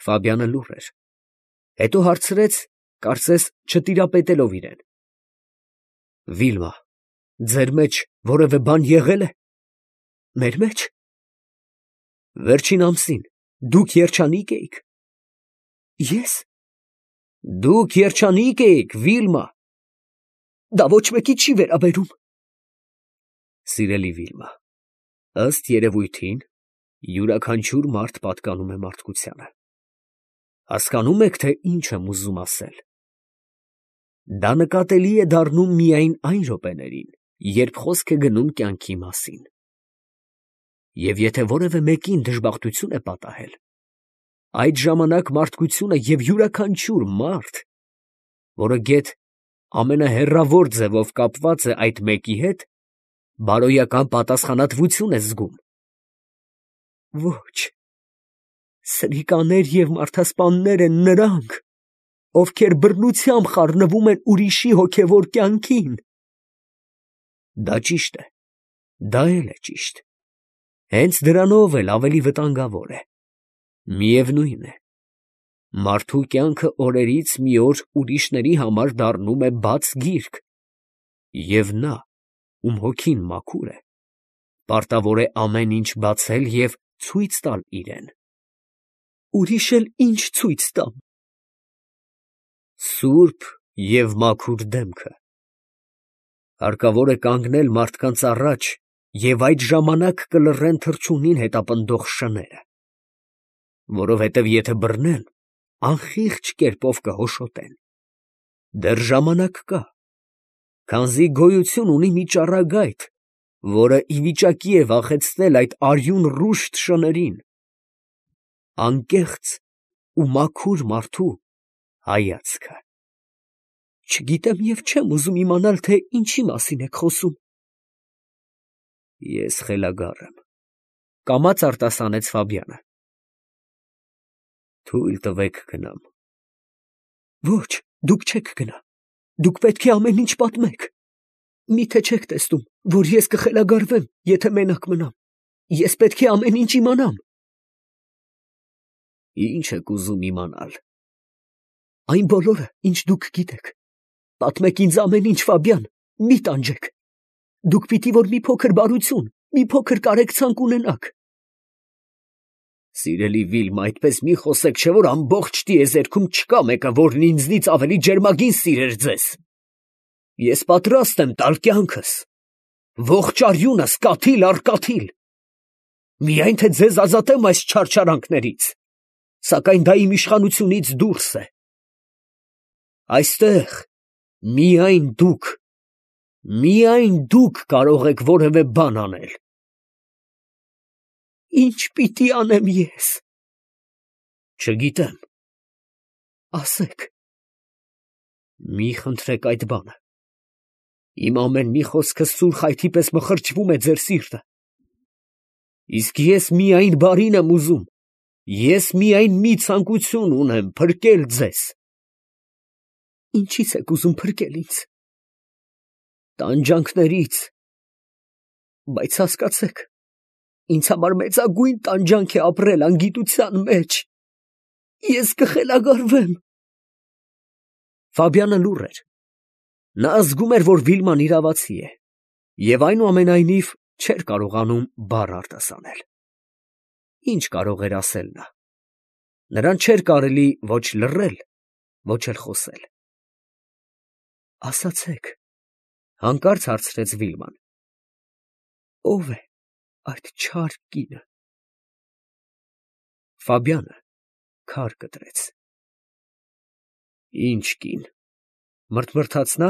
Ֆաբյանը լուռ էր։ Հետո հարցրեց, կարծես չտիրապետելով իրան. Վիլմա, ձեր մեջ որևէ բան եղե՞լ է։ Մեր մեջ։ Վերջին ամսին դուք երջանիկ էիք։ Ես։ Դուք երջանիկ էիք, Վիլմա։ Դա ոչ մեկի չի վերաբերում։ Սիրելի Վիլմա, ըստ երևույթին, յուրաքանչյուր մարդ պատկանում է մարդկությանը։ Հասկանում եք, թե ինչ եմ ուզում ասել։ Դա նկատելի է դառնում միայն այն րոպեներին, երբ խոսք է գնում կյանքի մասին։ Եվ եթե որևէ մեկին դժբախտություն է պատահել, այդ ժամանակ մարդկությունը և յուրաքանչյուր մարդ, որը գեթ ամենահեռավոր ձևով կապված է այդ մեկի հետ, բարոյական պատասխանատվություն է զգում։ Ոչ, սրիկաներ և մարդասպաններ են նրանք, ովքեր բռնությամբ խառնվում են ուրիշի հոգևոր կյանքին։ Դա ճիշտ է, դա էլ է ճիշտ։ Հենց դրանով էլ ավելի վտանգավոր է։ Միևնույն է, մարդու կյանքը օրերից մի օր ուրիշների համար դառնում է բաց գիրք, և նա, ում հոգին մաքուր է, պարտավոր է ամեն ինչ բացել և ցույց տալ իրեն։ Ուրիշ էլ ինչ ցույց տամ։ Սուրբ և մաքուր դեմքը։ Հարկավոր է կանգնել մարդկանց առաջ և այդ ժամանակ կլռեն թռչունին հետապնդող շները, որովհետև եթե բռնեն, անխիղճ կերպով կհոշոտեն։ Դեռ ժամանակ կա, քանզի գոյություն ունի մի ճառագայթ, որը ի վիճակի է վախեցնել այդ արյուն ռուշտ շներին, անկեղծ ու մաքուր մարդու հայացքը։ Չգիտեմ և չեմ ուզում իմանալ, թե ինչի մասին եք խոսում։ Ես խելագար եմ, կամաց արտասանեց Ֆաբյանը։ Թույլ տվեք գնամ։ Ոչ, դուք չեք գնա։ Դուք պետք է ամեն ինչ պատմեք։ Մի՞թե չեք տեսնում, որ ես կխելագարվեմ, եթե մենակ մնամ։ Ես պետք է ամեն ինչ իմանամ։ Ինչ եք ուզում իմանալ։ Այն բոլորը, ինչ դուք գիտեք։ Պատմեք ինձ ամեն ինչ, Ֆաբյան, մի տանջեք։ Դուք պիտի որ մի փոքր բարություն, մի փոքր կարեկցանք ունենաք։ Սիրելի Վիլմա, այդպես մի խոսեք, չէ՞ որ ամբողջ տիեզերքում չկա մեկը, որն ինձնից ավելի ջերմագին սիրեր ձեզ։ Ես պատրաստ եմ տալ կյանքս, ողջ արյունս, կաթիլ առ կաթիլ, միայն թե ձեզ ազատեմ այս չարչարանքներից, սակայն դա իմ իշխանությունից դուրս է։ Այստեղ միայն դուք կարող եք որևէ բան անել։ Ինչ պիտի անեմ ես։ Չգիտեմ։ Ասեք։ Մի խնդրեք այդ բանը։ Իմ ամեն մի խոսքը սուր խայթի պես մխրճվում է ձեր սիրտը։ Իսկ ես միայն բարին եմ ուզում, ես միայն մի ցանկություն ունեմ, փրկել ձեզ։ Ինչի՞ց եք ուզում փրկել ինձ։ Տանջանքներից։ Բայց հասկացեք, ինձ համար մեծագույն տանջանք է ապրել անգիտության մեջ։ Ես կխելագարվեմ։ Ֆաբյանը լուռ էր։ Նա զգում էր, որ Վիլման իրավացի է, և այնուամենայնիվ չէր կարողանում բառ արտասանել։ Ինչ կարող էր ասել նա։ Նրան չէր կարելի ոչ լռել, ոչ էլ խոսել։ Ասացեք, հանկարծ հարցրեց Վիլման. ո՞վ է այդ չար կինը։ Ֆաբյանը քար կտրեց։ Ինչ կին, մրթմրթաց նա,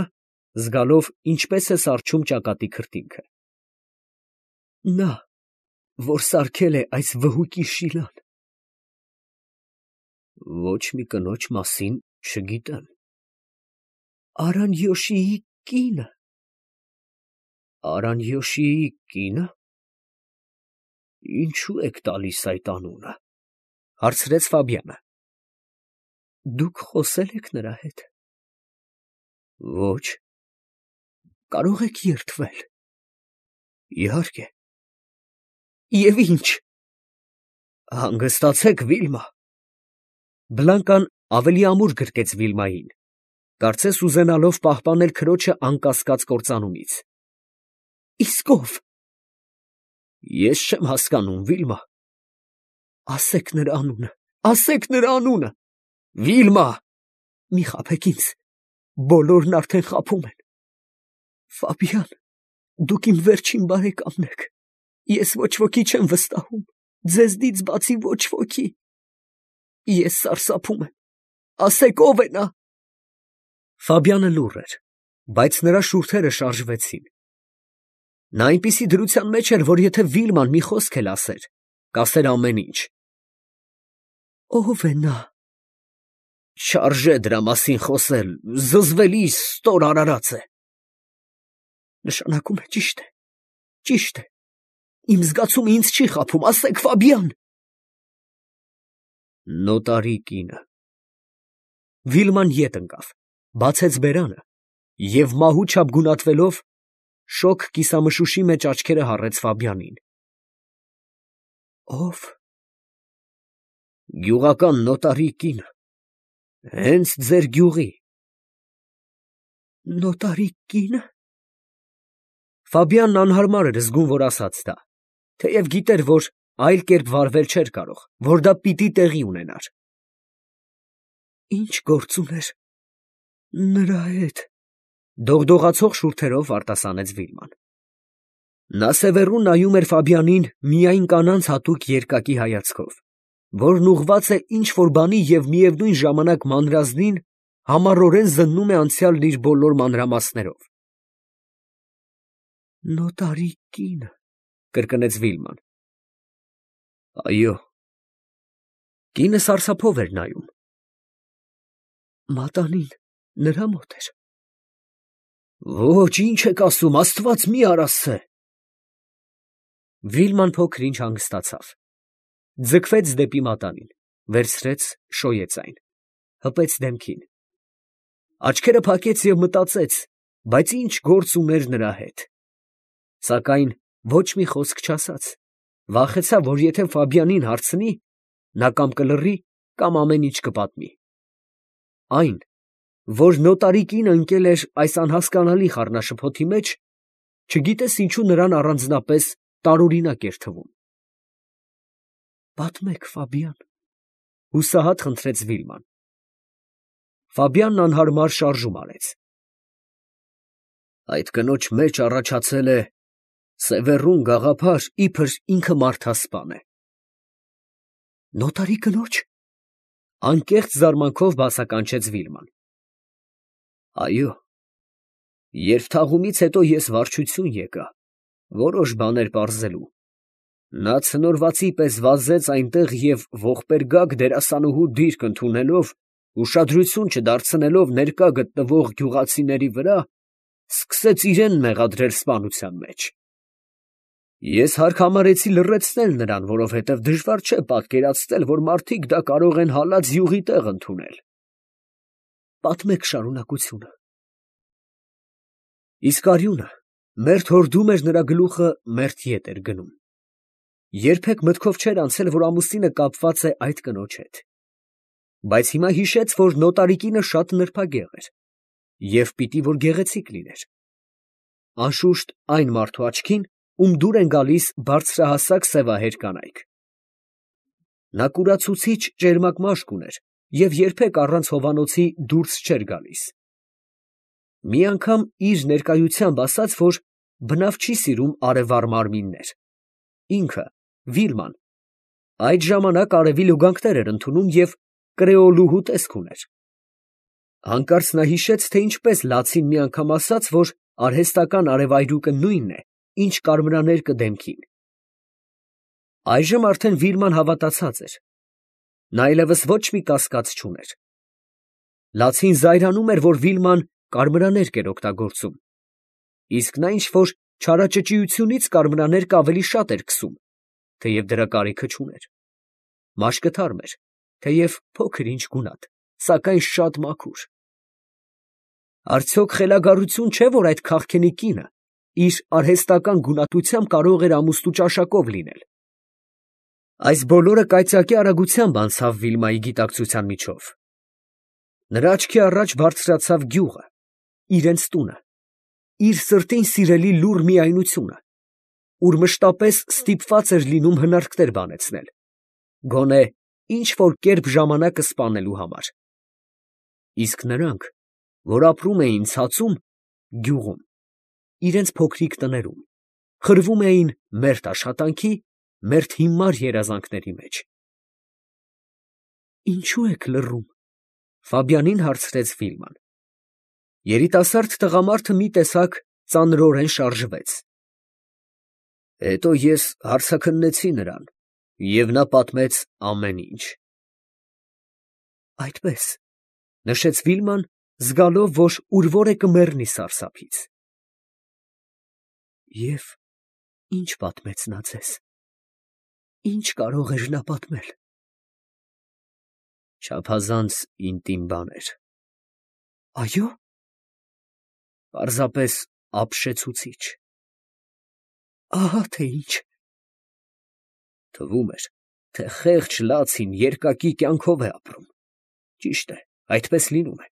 զգալով ինչպես է սառչում ճակատի քրտինքը։ Նա, որ սարքել է այս վհուկի շիլան։ Ոչ մի կնոջ մասին չգիտեմ։ Արանյոշիի կինը։ Արանյոշիի կինը։ Ինչու եք տալիս այդ անունը, հարցրեց Ֆաբյանը։ Դուք խոսե՞լ եք նրա հետ։ Ոչ։ Կարող եք երդվել։ Իհարկե։ Եվ ինչ։ Հանգստացեք, Վիլմա։ Բլանկան ավելի ամուր գրկեց Վիլմային, կարծես ուզենալով պահպանել քրոջը անկասկած կործանումից։ Իսկ ով։ Ես չեմ հասկանում, Վիլմա։ Ասեք նրա անունը, ասեք նրա անունը։ Վիլմա։ Մի խաբեք ինձ, բոլորն արդեն խաբում են։ Ֆաբիան, դուք իմ վերջին բարեկամն եք, ես ոչ ոքի չեմ վստահում, ձեզնից բացի ոչ ոքի։ Ես սարսափում եմ, ասեք ով է նա։ Ֆաբյանը լուռ էր, բայց նրա շուրթերը շարժվեցին։ Նա այնպիսի դրության մեջ էր, որ եթե Վիլման մի խոսք էլ ասեր, կասեր ամեն ինչ։ Ո՞վ է նա։ Չարժե դրա մասին խոսել, զզվելի ստոր արարած է։ Նշանակում է ճիշտ է, ճիշտ է։ Իմ զգացումը ինձ չի խաբում, ասեք Ֆաբիան։ Նոտարի կինը։ Վիլման ետ ընկավ, բացեց բերանը և մահու չափ գունատվելով շոգ կիսամշուշի մեջ աչքերը հառեց Ֆաբյանին։ Ո՞վ։ Գյուղական նոտարի կինը, հենց ձեր գյուղի։ Նոտարի կինը։ Ֆաբյանն անհարմար էր զգում, որ ասաց դա, թեև գիտեր, որ այլ կերպ վարվել չէր կարող, որ դա պիտի տեղի ունենար։ Ինչ գործ ուներ նրա հետ, դողդողացող շուրթերով արտասանեց Վիլման։ Նա սևեռուն նայում էր Ֆաբյանին միայն կանանց հատուկ երկակի հայացքով, որն ուղղված է ինչ-որ բանի և միևնույն ժամանակ մանրազնին համառորեն զննում է անցյալն իր բոլոր մանրամասներով։ Նոտարի կինը, կրկնեց Վիլման։ Այո։ Կինը սարսափով էր նայում։ Մատանին նրա մոտ էր։ Ոչ, ինչ եք ասում, Աստված մի արասցե։ Վիլման փոքր ինչ հանգստացավ, ձգվեց դեպի մատանին, վերցրեց, շոյեց այն, հպեց դեմքին, աչքերը փակեց և մտածեց, բայց ինչ գործ ուներ նրա հետ, սակայն ոչ մի խոսք չասաց, վախեցավ, որ եթե Ֆաբյանին հարցնի, նա կամ կլռի, կամ ամեն ինչ կպատմի։ Այն, որ նոտարի կինը ընկել էր այս անհասկանալի խառնաշփոթի մեջ, չգիտես ինչու նրան առանձնապես տարօրինակ էր թվում։ Պատմեք, Ֆաբյան, հուսահատ խնդրեց Վիլման։ Ֆաբյանն անհարմար շարժում արեց։ Այդ կնոջ մեջ առաջացել է սևեռուն գաղափար, իբր ինքը մարդասպան է։ Նոտարի կնոջ։ Անկեղծ զարմանքով բացականչեց Վիլման։ Այո, երբ թաղումից հետո ես վարչություն եկա, որոշ բաներ պարզելու, նա ցնորվածի պես վազեց այնտեղ և ողբերգակ դերասանուհու դիրք ընդունելով, ուշադրություն չդարձնելով ներկա գտնվող գյուղացիների վրա, սկսեց իրան մեղադրել սպանության մեջ։ Ես հարկ համարեցի լռեցնել նրան, որովհետև դժվար չէ պատկերացնել, որ մարդիկ դա կարող են հալած յուղի տեղ ընդունել։ Պատմեք շարունակությունը։ Իսկ արյունը մերթ հորդում էր նրա գլուխը, մերթ ետ էր գնում։ Երբեք մտքով չէր անցել, որ ամուսինը կապված է այդ կնոջ հետ։ Բայց հիմա հիշեց, որ նոտարի կինը շատ նրբագեղ էր և պիտի որ գեղեցիկ լիներ։ Անշուշտ այն մարդու աչքին, ում դուր են գալիս բարձրահասակ սևահեր կանայք։ Նա կուրացուցիչ ճերմակ մաշկ ուներ և երբեք առանց հովանոցի դուրս չէր գալիս։ Մի անգամ իր ներկայությամբ ասաց, որ բնավ չի սիրում արևառ մարմիններ։ Ինքը, Վիլման, այդ ժամանակ արևի լուգանքներ էր ընդունում և կրեոլուհու տեսք ուներ։ Հանկարծ նա հիշեց, թե ինչպես լացին մի անգամ ասաց, որ արհեստական արևայրուկը նույնն է, ինչ կարմրաներկը դեմքին։ Այժմ արդեն Վիլման հավատացած էր։ Նա այլևս ոչ մի կասկած չուներ։ Լացին զայրանում էր, որ Վիլման կարմրաներկ էր օգտագործում, իսկ նա ինչ-որ չարաճճիությունից կարմրաներկ ավելի շատ էր քսում, թեև դրա կարիքը չուներ։ Մաշկը թարմ էր, թեև փոքր ինչ գունատ, սակայն շատ մաքուր։ Արդյոք խելագարություն չէ, որ այդ քաղքենի կինը իր արհեստական գունատությամբ կարող էր ամուսնու ճաշակով լինել։ Այս բոլորը կայծակի արագությամբ անցավ Վիլմայի գիտակցության միջով։ Նրա աչքի առաջ բարձրացավ գյուղը, իրենց տունը, իր սրտին սիրելի լուռ միայնությունը, ուր մշտապես ստիպված էր լինում հնարքներ բանեցնել, գոնե ինչ որ կերպ ժամանակը սպանելու համար։ Իսկ նրանք, որ ապրում էին ցածում, գյուղում, իրենց փոքրիկ տներում, խրվում էին մերթ աշխատանքի, մերթ հիմար երազանքների մեջ։ «Ինչո՞ւ եք լռում», Ֆաբյանին հարցրեց Վիլման։ Երիտասարդ տղամարդը մի տեսակ ծանրորեն շարժվեց։ Հետո ես հարցաքննեցի նրան, և նա պատմեց ամեն ինչ։ Այդպես, նշեց Վիլման, զգալով, որ ուր որ է կմեռնի սարսափից։ Եվ ինչ պատմեց նա ձեզ։ Ինչ կարող էր նա պատմել։ Չափազանց ինտիմ բաներ։ Այո՞։ Պարզապես ապշեցուցիչ։ Ահա թե ինչ։ Թվում էր, թե խեղճ լացին երկակի կյանքով է ապրում։ Ճիշտ է, այդպես լինում է։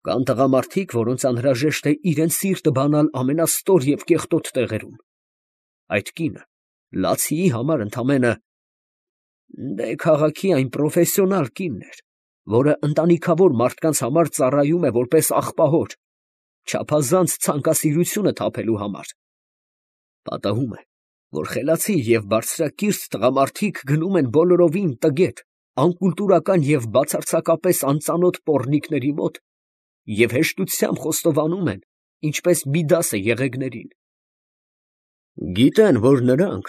Կան տղամարդիկ, որոնց անհրաժեշտ է իրենց սիրտը բանալ ամենաստոր և կեղտոտ տեղերում։ Այդ կինը լացիի համար ընդամենը քաղաքի այն պրոֆեսիոնալ կինն էր, որը ընտանիքավոր մարդկանց համար ծառայում է որպես աղբահոր, չափազանց ցանկասիրությունը թափելու համար։ Պատահում է, որ խելացի և բարձրակիրթ տղամարդիկ գնում են բոլորովին տգետ, անկուլտուրական և բացարձակապես անծանոթ պոռնիկների մոտ և հեշտությամբ խոստովանում են, ինչպես Միդասը եղեգներին։ Գիտեն, որ նրանք,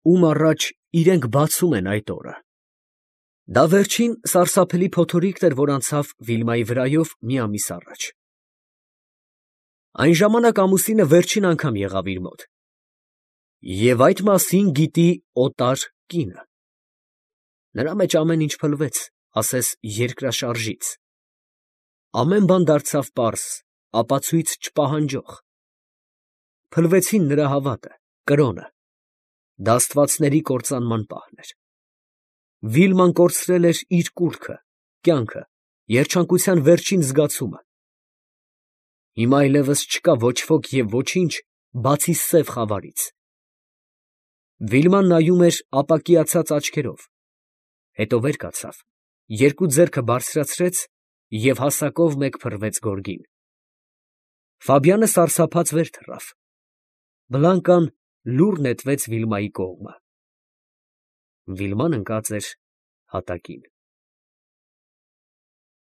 ում առաջ իրենք բացում են այդ օրը։ Դա վերջին սարսափելի փոթորիկն էր, որ անցավ Վիլմայի վրայով մի ամիս առաջ։ Այն ժամանակ ամուսինը վերջին անգամ եղավ իր մոտ։ Եվ այդ մասին գիտի օտար կինը։ Նրա մեջ ամեն ինչ փլվեց, ասես երկրաշարժից։ Ամեն բան դարձավ պարզ, ապացույց չպահանջող։ Փլվեցին նրա հավատը, կրոնը, դա աստվածների կործանման պահն էր։ Վիլման կորցրել էր իր կուռքը, կյանքը, երջանկության վերջին զգացումը։ Հիմա այլևս չկա ոչ ոք և ոչինչ, բացի սև խավարից։ Վիլման նայում էր ապակիացած աչքերով, հետո վեր կացավ, երկու ձեռքը բարձրացրեց և հասակով մեկ փռվեց գորգին։ Ֆաբյանը սարսափած վեր թռավ։ Բլանկան լուռ նետվեց Վիլմայի կողմը։ Վիլման ընկած էր հատակին։